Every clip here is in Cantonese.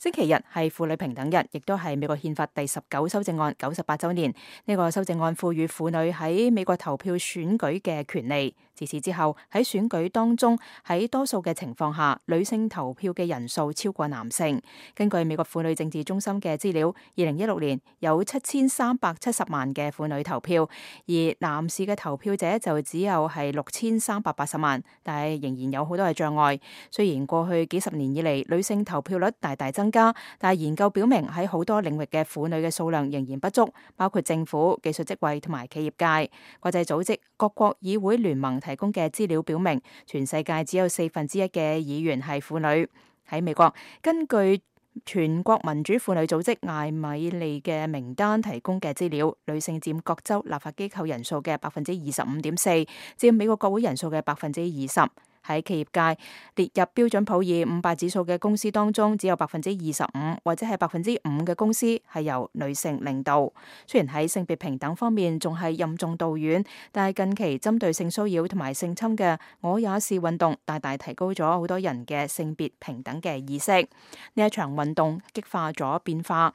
星期日係婦女平等日，亦都係美國憲法第19修正案98週年。呢個修正案賦予婦女喺美國投票選舉嘅權利。自此之後，喺選舉當中，喺多數嘅情況下，女性投票嘅人數超過男性。根據美國婦女政治中心嘅資料，2016年有7370萬嘅婦女投票，而男士嘅投票者就只有係6380萬，但係仍然有好多嘅障礙。雖然過去幾十年以嚟，女性投票率大大增加，但係研究表明喺好多領域嘅婦女嘅數量仍然不足，包括政府、技術職位同埋企業界。國際組織、各國議會聯盟提供嘅資料表明，全世界只有1/4嘅議員係婦女。喺美國，根據全國民主婦女組織艾米利嘅名單提供嘅資料，女性佔各州立法機構人數嘅25.4%，佔美國國會人數嘅20%。喺企業界列入標準普爾500指數嘅公司當中，只有25%或者係5%嘅公司係由女性領導。雖然喺性別平等方面仲係任重道遠，但係近期針對性騷擾同埋性侵嘅我也是運動，大大提高咗好多人嘅性別平等嘅意識。呢一場運動激化咗變化。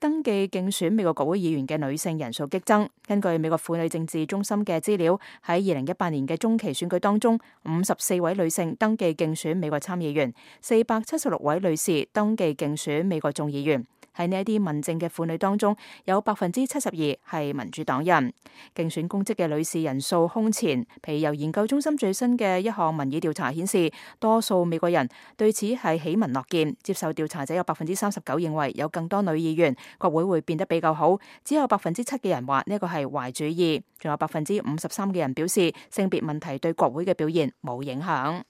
登記競選美國國會議員嘅女性人數激增。根據美國婦女政治中心嘅資料，喺2018年嘅中期選舉當中，54位女性登記競選美國參議員，476位女士登記競選美國眾議員。喺呢一啲民政嘅婦女當中，有72%係民主黨人。競選公職嘅女士人數空前。譬如由研究中心最新嘅一項民意調查顯示，多數美國人對此係喜聞樂見。接受調查者有39%認為有更多女議員，國會會變得比較好。只有7%嘅人話呢個係壞主意。仲有53%嘅人表示性別問題對國會嘅表現冇影響。